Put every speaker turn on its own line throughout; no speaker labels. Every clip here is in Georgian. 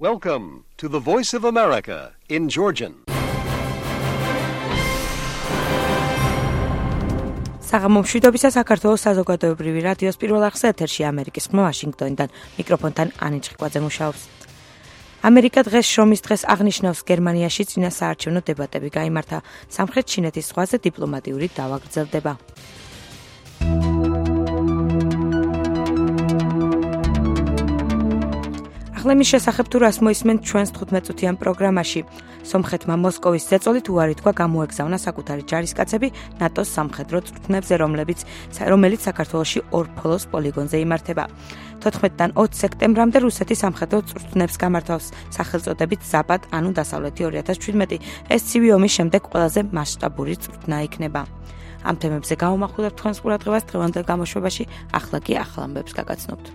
Welcome to the Voice of America in Georgian.
საღამომშვიდობისა საქართველოს საზოგადოებრივი რადიოს პირველ არხზე ეთერში ამერიკის ხმა ვაშინგტონიდან მიკროფონთან ანი ჭყიკვაძე მუშაობს. ამერიკა დღეს შრომის დღეს აღნიშნავს გერმანიაში წინა საარჩევნო დებატები გაიმართა. სამხრეთ ჩინეთის ზღვაზე დიპლომატიური დავა გრძელდება. ახლა შესახებ თუ რას მოისმენთ ჩვენს 15-წუთიან პროგრამაში. სომხეთმა მოსკოვის ზეწოლით უარი თქვა გამოეგზავნა საკუთარი ჯარისკაცები ნატოს სამხედრო წვრთნებზე, რომელიც საქართველოში ორფოლოს პოლიგონზე იმართება. 14-დან 20 სექტემბრამდე რუსეთი სამხედრო წვრთნებს გამართავს სახელწოდებით ზაპად, ანუ დასავლეთი 2017. ეს ცივი ომის შემდეგ ყველაზე მასშტაბური წვრთნა იქნება. ამ თემებზე გავამახვილებთ თქვენს ყურადღებას დღევანდელ გამოშვებაში, ახლა კი ახალ ამბებს გაგაცნობთ.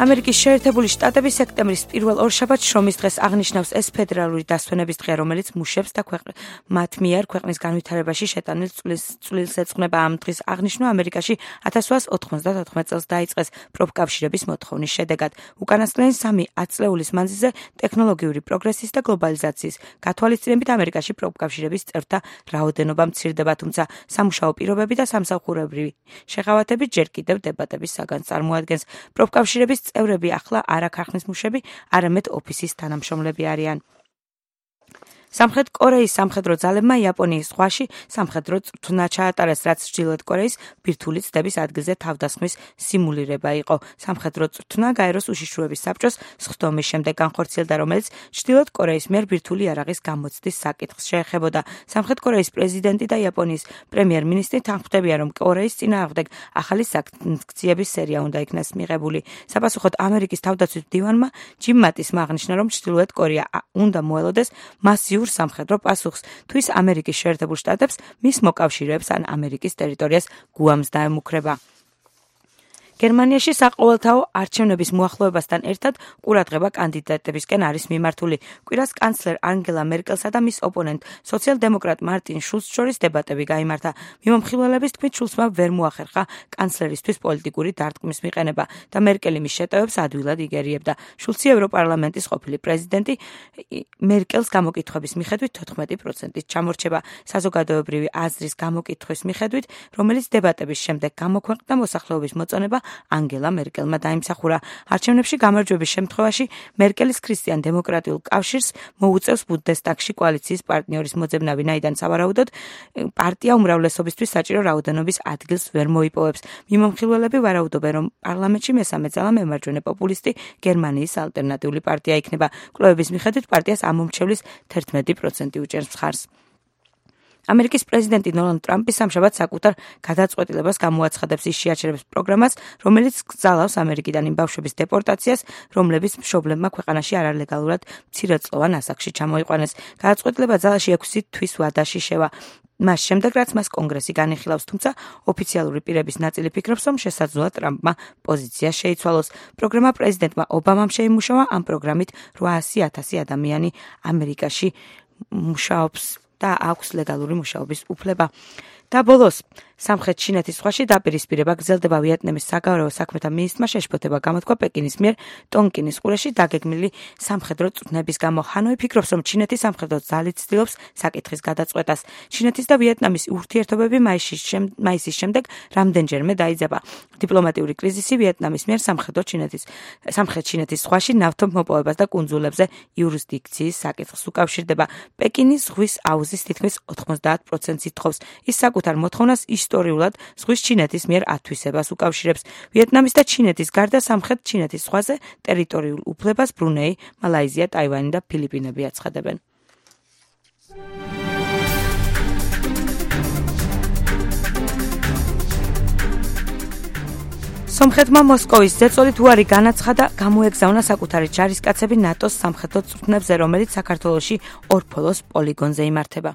ამერიკის შეერთებული შტატები სექტემბრის პირველ ორშაბათს შრომის დღეს აღნიშნავს. ეს ფედერალური დასვენების დღე, რომელიც მუშებს და მათ მიერ ქვეყნის განვითარებაში შეტანილ წვლილს ეძღვნება. ამ დღის აღნიშვნა ამერიკაში 1894 წელს დაიწყეს პროფკავშირების მოთხოვნის შედეგად. უკანასკნელი 3 ათწლეულის მანძილზე ტექნოლოგიური პროგრესის და გლობალიზაციის გათვალისწინებით ამერიკაში პროფკავშირების წევრთა რაოდენობა მცირდება, თუმცა სამუშაო პირობები და სამსახურებრივი შეღავათები ჯერ კიდევ დებატების საგანს წარმოადგენს. პროფკავშირების წევრები ახლა არა ქარხნის მუშები, არამედ ოფისის თანამშრომლები არიან. სამხრეთ კორეის სამხედრო ძალებმა იაპონიის ზღვაში სამხედრო წვრთნა ჩაატარეს, რაც ჩრდილოეთ კორეის ბირთვული ცდების ადგილზე თავდასხმის სიმულირება იყო. სამხედრო წვრთნა გაეროს უშიშროების საბჭოს სხდომის შემდეგ განხორციელდა, რომელიც ჩრდილოეთ კორეის მიერ ბირთვული იარაღის გამოცდის საკითხს შეეხებოდა. სამხრეთ კორეის პრეზიდენტი და იაპონიის პრემიერ-მინისტრი თანხმდებიან, რომ კორეის წინააღმდეგ ახალი სანქციების სერია უნდა იქნას მიღებული. საპასუხოდ ამერიკის თავდაცვის მდივანმა ჯიმ მატისმა აღნიშნა, რომ ჩრდილოეთ კორეა უნდა მოელოდეს მასიურ სამხედრო პასუხს, თუ ის ამერიკის შეერთებულ შტატებს მის მოკავშირეებს ან ამერიკის ტერიტორიას გუამს დაემუქრება. გერმანიაში საყოველთაო არჩევნების მოახლოებასთან ერთად ყურადღება კანდიდატებისკენ არის მიმართული. კვირას კანცლერ ანგელა მერკელსა და მის ოპონენტ სოციალ-დემოკრატ მარტინ შულცს შორის დებატები გაიმართა. მიმომხილველების თქმით, შულცმა ვერ მოახერხა კანცლერისთვის პოლიტიკური დარტყმის მიყენება და მერკელი მის შეტევებს ადვილად იგერიებდა. შულცი ევროპარლამენტის ყოფილი პრეზიდენტი მერკელს გამოკითხვების მიხედვით 14%-ით ჩამორჩება. საზოგადოებრივი აზრის გამოკითხვის მიხედვით, რომელიც დებატების შემდეგ გამოქვეყნდა, მოსახლეობის მოწონება ანგელა მერკელმა დაიმსახურა. არჩევნებში გამარჯვების შემთხვევაში მერკელის ქრისტიან-დემოკრატიულ კავშირს მოუწევს ბუნდესტაგში კოალიციის პარტნიორის მოძებნა, ვინაიდან სავარაუდოდ პარტია უმრავლესობისთვის საჭირო რაოდენობის ადგილს ვერ მოიპოვებს. მიმომხილველები ვარაუდობენ, რომ პარლამენტში მესამე ძალა მემარჯვენე პოპულისტი გერმანიის ალტერნატიული პარტია იქნება. კვლევების მიხედვით პარტიას ამ მომრჩევლის 11% უჭერს მხარს. ამერიკის პრეზიდენტი დონალდ ტრამპი სამშაბათს საკუთარ გადაწყვეტილებას გამოაცხადებს ის შეაჩერებს პროგრამას, რომელიც გზავნავს ამერიკიდან იმ ბავშვების დეპორტაციას, რომლებიც მშობლებმა ქვეყანაში არალეგალურად მცირეწლოვან ასაკში ჩამოიყვანეს. გადაწყვეტილება ძალაში 6 თვის ვადაში შევა. მას შემდეგ, რაც მას კონგრესი განიხილავს, თუმცა ოფიციალური პირების ნაწილი ფიქრობს, რომ შესაძლოა ტრამპმა პოზიცია შეიცვალოს. პროგრამა პრეზიდენტმა ობამამ შეიმუშავა. ამ პროგრამით 800,000 ადამიანი ამერიკაში მუშაობს და აქვს ლეგალური მუშაობის უფლება. და ბოლოს, სამხრეთ ჩინეთის ზღვაში დაპირისპირება გრძელდება. ვიეტნამის საგარეო საქმეთა მინისტრმა შეშფოთება გამოთქვა პეკინის მიერ ტონკინის ყურეში დაგეგმილი სამხედრო წვრთნების გამო. ჰანოი ფიქრობს, რომ ჩინეთის სამხედრო ძალით ცდილობს საკითხის გადაწყვეტას. ჩინეთის და ვიეტნამის ურთიერთობები მაისის შემდეგ რამდენჯერმე დაიძაბა. დიპლომატიური კრიზისი ვიეტნამის მიერ სამხრეთ ჩინეთის ზღვაში ნავთობმოპოვებას და კუნძულებზე იურისდიქციის საკითხს უკავშირდება. პეკინის ზღვის აუზის თითქმის 90%-ს ითხოვს. ის საკუთარ მოთხოვნას ისტორიულად ზღვის ჩინეთის მიერ ათვისებას უკავშირებს. ვიეტნამის და ჩინეთის გარდა სამხრეთ ჩინეთის ზღვაზე ტერიტორიულ უფლებას ბრუნეი, მალაიზია, ტაივანი და ფილიპინები აცხადებენ. სომხეთმა მოსკოვის ზეწოლით უარი განაცხადა, გამოეგზავნა საკუთარი ჯარისკაცები ნატოს სამხედრო წვრთნებზე, რომელიც საქართველოში ორფოლოს პოლიგონზე იმართება.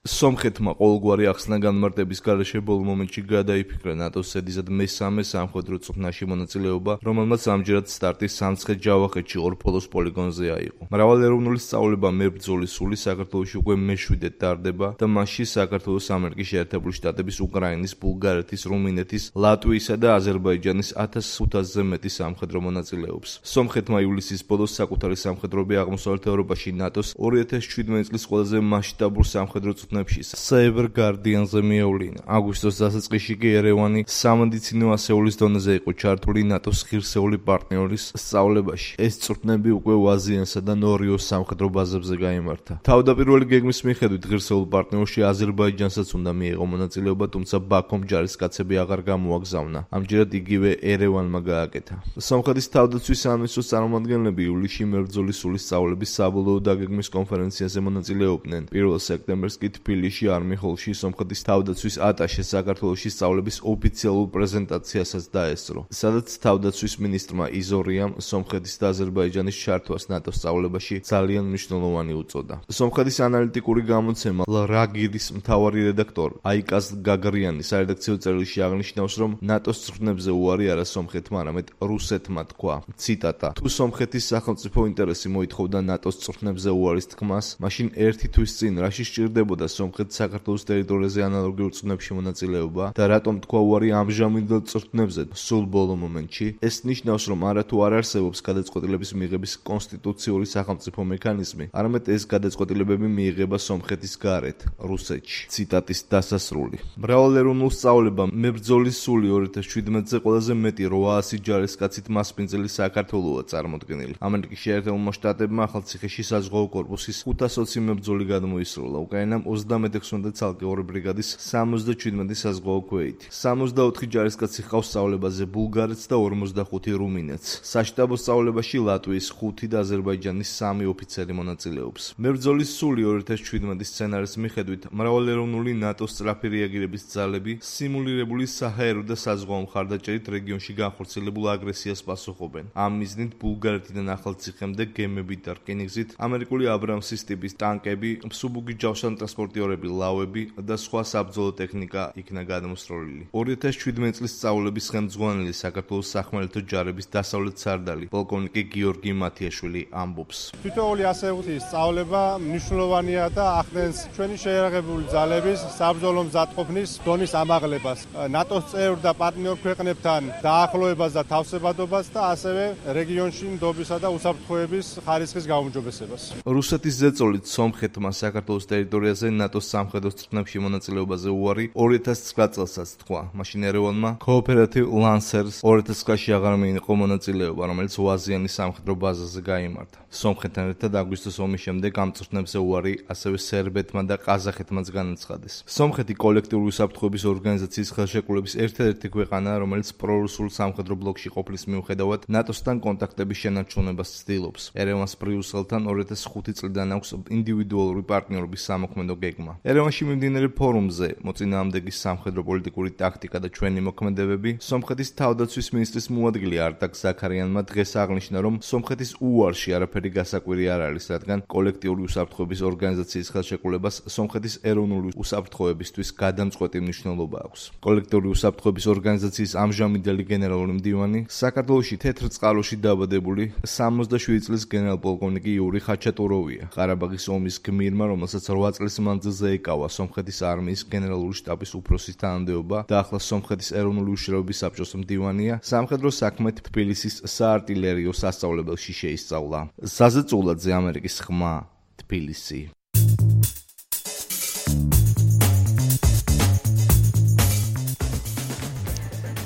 სომხეთმა ყოველგვარი ახსნა განმარტების გარეშე ბოლო მომენტში გადაიფიქრა ნატოს ზედიზად მესამე სამხედრო წვრთნაში მონაწილეობა, რომელმაც ამჯერად სტარტი სამცხე-ჯავახეთში ორფოლოს პოლიგონზე აიღო. მრავალეროვნული სწავლება მებრძოლი სული საქართველოში უკვე მე-7-ად ტარდება და მასში საქართველოს ამერიკის შეერთებული შტატების, უკრაინის, ბულგარეთის, რუმინეთის, ლატვიისა და აზერბაიჯანის 1500-ზე მეტი სამხედრო მონაწილეობს. სომხეთმა ივლისის ბოლოს საკუთარი სამხედროები აღმოსავლეთ ევროპაში ნატოს 2017 წლის ყველაზე მასშტაბურ სამხედრო წვრთნებში Cyber Guardian-ზე მიევლინა. აგვისტოს დასაწყისში კი ერევანი სამედიცინო ასეულის დონეზე იყო ჩართული ნატოს ღირსეული პარტნიორის სწავლებაში. ეს წვრთნები უკვე ვაზიანსა და ნორიოს სამხედრო ბაზებზე გაიმართა. თავდაპირველი გეგმის მიხედვით ღირსეულ პარტნიორში აზერბაიჯანსაც უნდა მიეღო მონაწილეობა, თუმცა ბაქომ ჯარისკაცები აღარ გამოაგზავნა. ამჯერად იგივე ერევანმა გააკეთა. სომხეთის თავდაცვის სამინისტროს წარმომადგენლები ივლისში მებრძოლის სულის სწავლების საბოლოო დაგეგმვის კონფერენციაზე მონაწილეობდნენ. 1 სექტემბერს კი თბილისში არმი-ჰოლში სომხეთის თავდაცვის ატაშე საქართველოში სწავლების ოფიციალურ პრეზენტაციასაც დაესწრო, სადაც თავდაცვის მინისტრმა იზორიამ სომხეთის და აზერბაიჯანის ჩართვას ნატოს სწავლებაში ძალიან მნიშვნელოვანი უწოდა. სომხეთის ანალიტიკური გამოცემა ლრაგირის მთავარი რედაქტორ აიკაზ გაგრიანი სარედაქციო წერილში აღნიშნავს, რომ ნატოს წვრთნებზე უარი არა სომხეთმა, არამედ რუსეთმა თქვა. ციტატა: თუ სომხეთის სახელმწიფო ინტერესი მოითხოვდა ნატოს წვრთნებზე უარის თქმას, მაშინ ერთი თვის წინ რაში სჭირდებოდა სომხეთს საქართველოს ტერიტორიაზე ანალოგიურ წვრთნებში მონაწილეობა და რატომ თქვა უარი ამჟამინდელ წვრთნებზე სულ ბოლო მომენტში? ეს ნიშნავს, რომ არათუ არ არსებობს გადაწყვეტილების მიღების კონსტიტუციური სახელმწიფო მექანიზმი, არამედ ეს გადაწყვეტილებები მიიღება სომხეთის გარეთ, რუსეთში. ციტატის დასასრული. მრავალეროვნულ სწავლებამ მებრძოლის სული 2017-ზე ყველაზე მეტი 800 ჯარისკაცით მასპინძელი საქართველოა წარმოდგენილი. ამერიკის შეერთებულმა შტატებმა ახალციხეში საზღვაო კორპუსის 520 მებრძოლი გადმოისროლა. უკრაინამ 36 ცალკეული ბრიგადის 77 საზღვაო ქვეითი. 64 ჯარისკაცი ჰყავს სწავლებაზე ბულგარეთს და 45 რუმინეთს. საშტაბო სწავლებაში ლატვიის 5 და აზერბაიჯანის 3 ოფიცერი მონაწილეობს. მებრძოლის სული 2017 სცენარის მიხედვით მრავალეროვნული ნატოს სწრაფი რეაგირების ძალები სიმულირებული საჰაერო და საზღვაო მხარდაჭერით რეგიონში განხორციელებულ აგრესიას პასუხობენ. ამ მიზნით ბულგარეთიდან ახალციხემდე გემებით და რკინიგზით ამერიკული აბრამსის ტიპის ტანკები, მსუბუქი ჯავშანტრანსპორტიორები, ლავები და სხვა საბრძოლო ტექნიკა იქნა გადმოსროლილი. 2017 წლის სწავლების ხელმძღვანელი საქართველოს სახმელეთო ჯარების დასავლეთ სარდალი პოლკოვნიკი გიორგი მათიაშვილი ამბობს.
თითოეული ასეთი სწავლება მნიშვნელოვანია და ახდენს ჩვენი შეიარაღებული ძალების საბრძოლო მზადყოფნის დონის ამაღლებას, ნატოს წევრ და პარტნიორ ქვეყნებთან დაახლოებას და თავსებადობას და ასევე რეგიონში ნდობისა და უსაფრთხოების ხარისხის გაუმჯობესებას.
რუსეთის ზეწოლით სომხეთმა საქართველოს ტერიტორიაზე ნატოს სამხედრო წვრთნებში მონაწილეობაზე უარი 2009 წელსაც თქვა. მაშინ ერევანმა Cooperative Lancers 2009-ში აღარ მიიღო მონაწილეობა, რომელიც ვაზიანის სამხედრო ბაზაზე გაიმართა. სომხეთთან ერთად აგვისტოს ომის შემდეგ ამ წვრთნებზე უარი ასევე სერბეთმა და ყაზახეთმაც განაცხადეს. სომხეთი კოლექტიური უსაფრთხოების ორგანიზაციის ხელშეკრულების ერთადერთი ქვეყანაა, რომელიც პრორუსულ სამხედრო ბლოკში ყოფნის მიუხედავად ნატოსთან კონტაქტების შენარჩუნებას ცდილობს. ერევანს ბრიუსელთან 2005 წლიდან აქვს ინდივიდუალური პარტნიორობის სამოქმედო გეგმა. ერევანში მიმდინარე ფორუმზე მოწინააღმდეგის სამხედრო პოლიტიკური ტაქტიკა და ჩვენი მოქმედებები სომხეთის თავდაცვის მინისტრის მოადგილე არტაკ ზაქარიანმა დღეს აღნიშნა, რომ სომხეთის უარში არაფერი გასაკვირი არ არის, რადგან კოლექტიური უსაფრთხოების ორგანიზაციის ხელშეკრულებას სომხეთის ეროვნული უსაფრთხოებისთვის გადამწყვეტი მნიშვნელობა აქვს. კოლექტიური უსაფრთხოების ორგანიზაციის ამჟამინდელი გენერალური მდივანი საქართველოში თეთრ წყაროში დაბადებული 67 წლის გენერალ-პოლკოვნიკი იური ხაჩატუროვია. ყარაბაღის ომის გმირმა, რომელსაც 8 წლის მანძილზე ეკავა სომხეთის არმიის გენერალური შტაბის უფროსის თანამდებობა და ახლა სომხეთის ეროვნული უშიშროების საბჭოს მდივანია, სამხედრო საქმეთ თბილისის საარტილერიო სასწავლებელში შეისწავლა. ზაზე წულაძე, ამერიკის ხმა, თბილისი.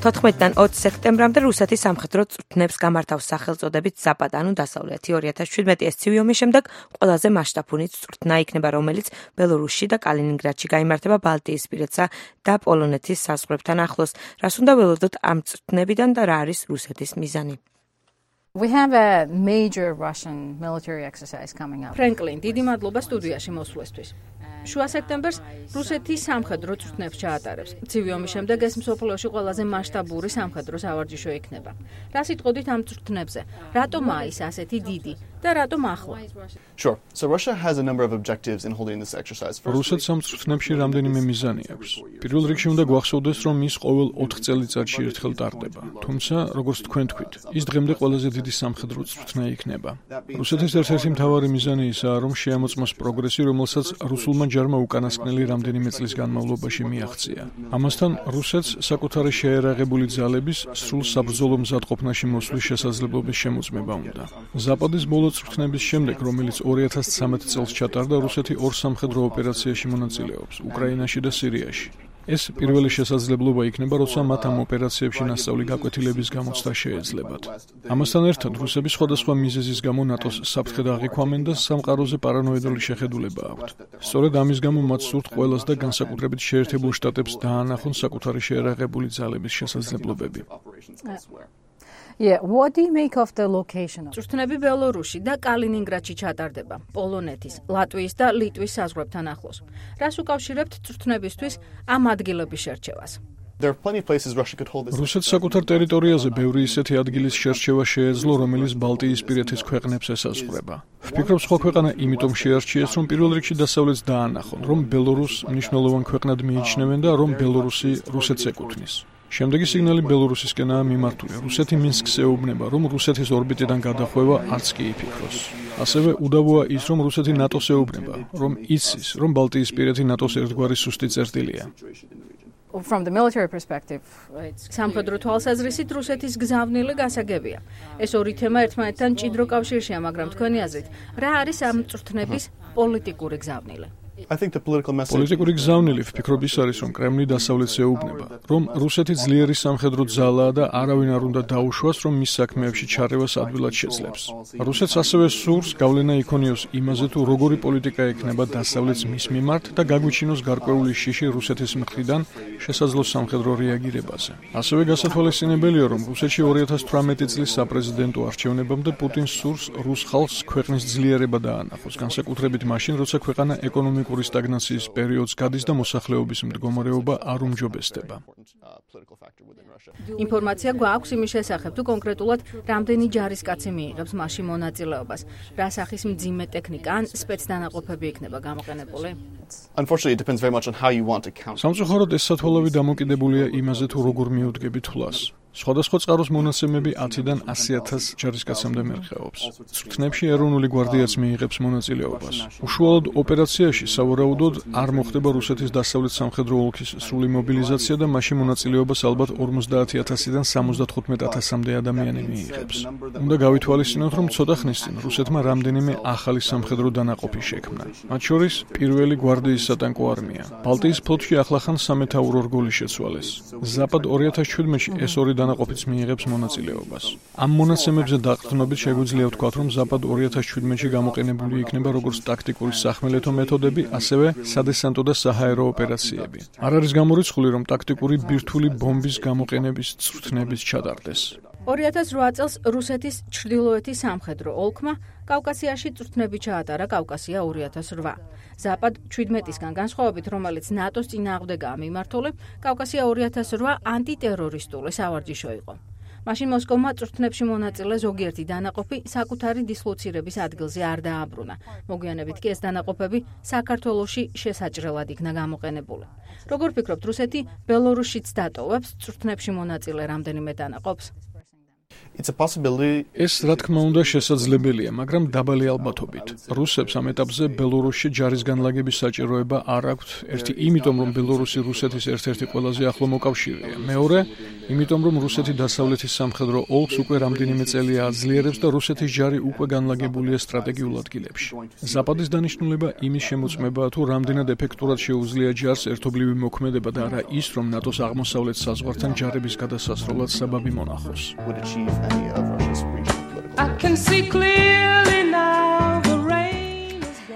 14-დან 20 სექტემბრამდე რუსეთის სამხედრო წვრთნებს გამართავს სახელწოდებით ზაპად, ანუ დასავლეთი. 2017 ეს ცივი ომის შემდეგ ყველაზე მასშტაბური წვრთნა იქნება, რომელიც ბელორუსში და კალინინგრადში გაიმართება ბალტიისპირეთსა და პოლონეთის საზღვრებთან ახლოს. რას უნდა ველოდოთ ამ წვრთნებიდან და რა არის რუსეთის მიზანი?
We have a major Russian military exercise coming up.
ფრენკლინ, დიდი მადლობა სტუდიაში მოსვლისთვის. შუა სექტემბერს რუსეთი სამხედრო წვრთნებს ჩაატარებს. ცივი ომის შემდეგ ეს მსოფლიოში ყველაზე მასშტაბური სამხედრო სავარჯიშო იქნება. რა სიტყოდით ამ წვრთნებზე? რატომაა ის ასეთი დიდი და რატომ ახლა?
Sure. So Russia has a number of objectives in holding this exercise.
რუსეთს ამ წვრთნებში რამდენიმე მიზანი აქვს. პირველ რიგში უნდა გვახსოვდეს, რომ ის ყოველ 4 წელიწადში ერთხელ ტარდება. თუმცა, როგორც თქვენ თქვით, ის დღემდე ყველაზე დიდი სამხედრო წვრთნა იქნება. რუსეთის ერთ-ერთი მთავარი მიზანი ისაა, რომ შეამოწმოს პროგრესი, რომელსაც რუსულმა ჯარმა უკანასკნელი რამდენიმე წლის განმავლობაში მიაღწია. ამასთან, რუსეთს საკუთარი შეერაღებული ძალების სრულ საბრძოლო მზადყოფნაში მოსვლის შესაძლებლობის შემოწმება უნდა. ზაპადის ბოლო წვრთნების შემდეგ, რომელიც 2013 წელს ჩატარდა, რუსეთი 2 სამხედრო ოპერაციაში მონაწილეობს, უკრაინაში და სირიაში. ეს პირველი შესაძლებლობა იქნება, როცა მათ ამ ოპერაციებში ნასწავლი გაკვეთილების გამოცდა შეეძლებათ. ამასთან ერთად, რუსები სხვადასხვა მიზეზის გამო ნატოს საფრთხედ აღიქვამენ და სამყაროზე პარანოიდული შეხედულება აქვთ. სწორედ ამის გამო მათ სურთ ყველას და განსაკუთრებით შეერთებულ შტატებს დაანახონ საკუთარი შეერაღებული ძალების შესაძლებლობები.
Yeah, what do you make of the location?
წვრთნები ბელორუსში და კალინინგრადში ჩატარდება, პოლონეთის, ლატვიის და ლიტვის საზღვრებთან ახლოს. რას უკავშირებთ წვრთნებისთვის ამ ადგილების შერჩევას?
There are plenty of places Russia could hold this.
რუსეთს საკუთარ ტერიტორიაზე ბევრი ისეთი ადგილის შერჩევა შეეძლო, რომელიც ბალტიისპირეთის ქვეყნებს ესაზღვრება. ვფიქრობ, სხვა ქვეყანა იმიტომ შეარჩიეს, რომ პირველ რიგში დასავლეთს დაანახონ, რომ ბელორუსს მნიშვნელოვან ქვეყნად მიიჩნევენ და რომ ბელორუსი რუსეთს ეკუთვნის. შემდეგი სიგნალი ბელორუსისკენაა მიმართული. რუსეთი მინსკს ეუბნება, რომ რუსეთის ორბიტიდან გადახვევა არც კი იფიქროს. ასევე უდავოა ის, რომ რუსეთი ნატოს ეუბნება, რომ იცის, რომ ბალტიისპირეთი ნატოს ერთგვარი სუსტი წერტილია.
From the military perspective,
სამხედრო თვალსაზრისით რუსეთის გზავნილი გასაგებია. ეს ორი თემა ერთმანეთთან ჭიდრო კავშირშია, მაგრამ თქვენი აზრით, რა არის ამ წვრთნების პოლიტიკური გზავნილი?
I think the political message.
პოლიტიკური გზავნილი ვფიქრობ ის არის, რომ კრემლი დასავლეთს ეუბნება, რომ რუსეთი ძლიერი სამხედრო ძალაა და არავინ არ უნდა დაუშვას, რომ მის საქმეებში ჩარევას ადვილად შეძლებს. რუსეთს ასევე სურს გავლენა იქონიოს იმაზე, თუ როგორი პოლიტიკა ექნება დასავლეთს მის მიმართ და გაგვიჩინოს გარკვეული შიში რუსეთის მხრიდან შესაძლო სამხედრო რეაგირებაზე. ასევე გასათვალისწინებელია, რომ რუსეთში 2018 წლის საპრეზიდენტო არჩევნებამდე პუტინს სურს რუს ხალხს ქვეყნის ძლიერება დაანახოს, განსაკუთრებით მაშინ, როცა ქვეყანა ეკონომიკური სტაგნაციის პერიოდს გადის და მოსახლეობის მდგომარეობა არ უმჯობესდება.
ინფორმაცია გვაქვს იმის შესახებ, თუ კონკრეტულად რამდენი ჯარისკაცი მიიღებს მასში მონაწილეობას, რა სახის მძიმე ტექნიკა ან სპეცდანაყოფები იქნება გამოყენებული?
Unfortunately, it depends very much on how you want to count.
სამწუხაროდ ეს სათვალავი დამოკიდებულია იმაზე, თუ როგორ მიუდგები თვლას. სხვადასხვა წყაროს მონაცემები 10-დან 100,000 ჯარისკაცამდე მერხეობს. წვრთნებში ეროვნული გვარდიაც მიიღებს მონაწილეობას. უშუალოდ ოპერაციაში სავარაუდოდ არ მოხდება რუსეთის დასავლეთ სამხედრო ოლქის სრული მობილიზაცია და მასში მონაწილეობას ალბათ 50,000-დან 75,000-მდე ადამიანი მიიღებს. უნდა გავითვალისწინოთ, რომ ცოტა ხნის წინ რუსეთმა რამდენიმე ახალი სამხედრო დანაყოფი შექმნა. მათ შორის პირველი გვარდიის სატანკო არმია. ბალტიის ფლოტში ახლახან სამეთაურო რგოლი შეცვალეს. ზაპად 2017-ში ეს ორი დანაყოფიც მიიღებს მონაწილეობას. ამ მონაცემებზე დაყრდნობით შეგვიძლია ვთქვათ, რომ ზაპად 2017-ში გამოყენებული იქნება როგორც ტაქტიკური სახმელეთო მეთოდები, ასევე სადესანტო და საჰაერო ოპერაციები. არ არის გამორიცხული, რომ ტაქტიკური ბირთვული ბომბის გამოყენების წვრთნებიც ჩატარდეს.
2008 წელს რუსეთის ჩრდილოეთის სამხედრო ოლქმა კავკასიაში წვრთნები ჩაატარა კავკასია 2008. ზაპად 17-ისგან განსხვავებით, რომელიც ნატოს წინააღმდეგაა მიმართული, კავკასია 2008 ანტიტერორისტული სავარჯიშო იყო. მაშინ მოსკოვმა წვრთნებში მონაწილე ზოგიერთი დანაყოფი საკუთარი დისლოცირების ადგილზე არ დააბრუნა. მოგვიანებით კი ეს დანაყოფები საქართველოში შესაჭრელად იქნა გამოყენებული. როგორ ფიქრობთ, რუსეთი ბელორუსშიც დატოვებს წვრთნებში მონაწილე რამდენიმე დანაყოფს?
It's a possibility.
ეს რა თქმა უნდა შესაძლებელია, მაგრამ დაბალი ალბათობით. რუსებს ამ ეტაპზე ბელორუსში ჯარის განლაგების საჭიროება არ აქვთ. ერთი, იმიტომ რომ ბელორუსი რუსეთის ერთ-ერთი ყველაზე ახლო მოკავშირეა. მეორე, იმიტომ რომ რუსეთი დასავლეთის სამხედრო ოლქს უკვე რამდენიმე წელია აძლიერებს და რუსეთის ჯარი უკვე განლაგებულია სტრატეგიულ ადგილებში. ზაპადის დანიშნულება იმის შემოწმებაა, თუ რამდენად ეფექტურად შეუძლია ჯარს ერთობლივი მოქმედება და არა ის, რომ ნატოს აღმოსავლეთ საზღვართან ჯარების გადასასროლად საბაბი მონახოს.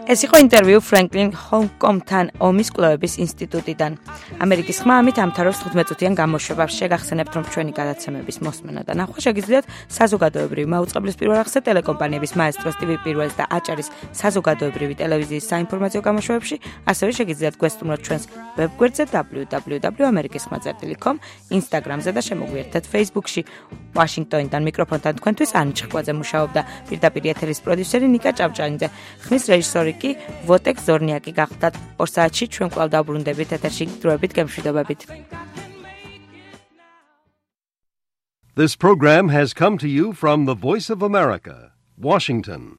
ეს იყო ინტერვიუ ფრენკლინ ჰონკომთან ომის კვლევების ინსტიტუტიდან. ამერიკის ხმა ამით ამთავრებს 15-წუთიან გამოშვებას. შეგახსენებთ, რომ ჩვენი გადაცემების მოსმენა და ნახვა შეგიძლიათ საზოგადოებრივი მაუწყებლის პირველ არხზე, ტელეკომპანიების მაესტროს TV პირველს და აჭარის საზოგადოებრივი ტელევიზიის საინფორმაციო გამოშვებებში, ასევე შეგიძლიათ გვესტუმროთ ჩვენს ვებგვერდზე www.amerikiskhma.com, Instagram-ზე და შემოგვიერთდეთ Facebook-ში. ვაშინგტონიდან მიკროფონთან თქვენთვის ანი ჭხვაძე მუშაობდა, პირდაპირ ეთერის პროდიუსერი ნიკა ჭავჭანიძე, ხმის რეჟისორი კი ვოტეკ ზორნიაკი გახლდათ. 2 საათში ჩვენ კვლავ დავბრუნდებით ეთერში დროებით გემშვიდობებით.
This program has come to you from the Voice of America, Washington.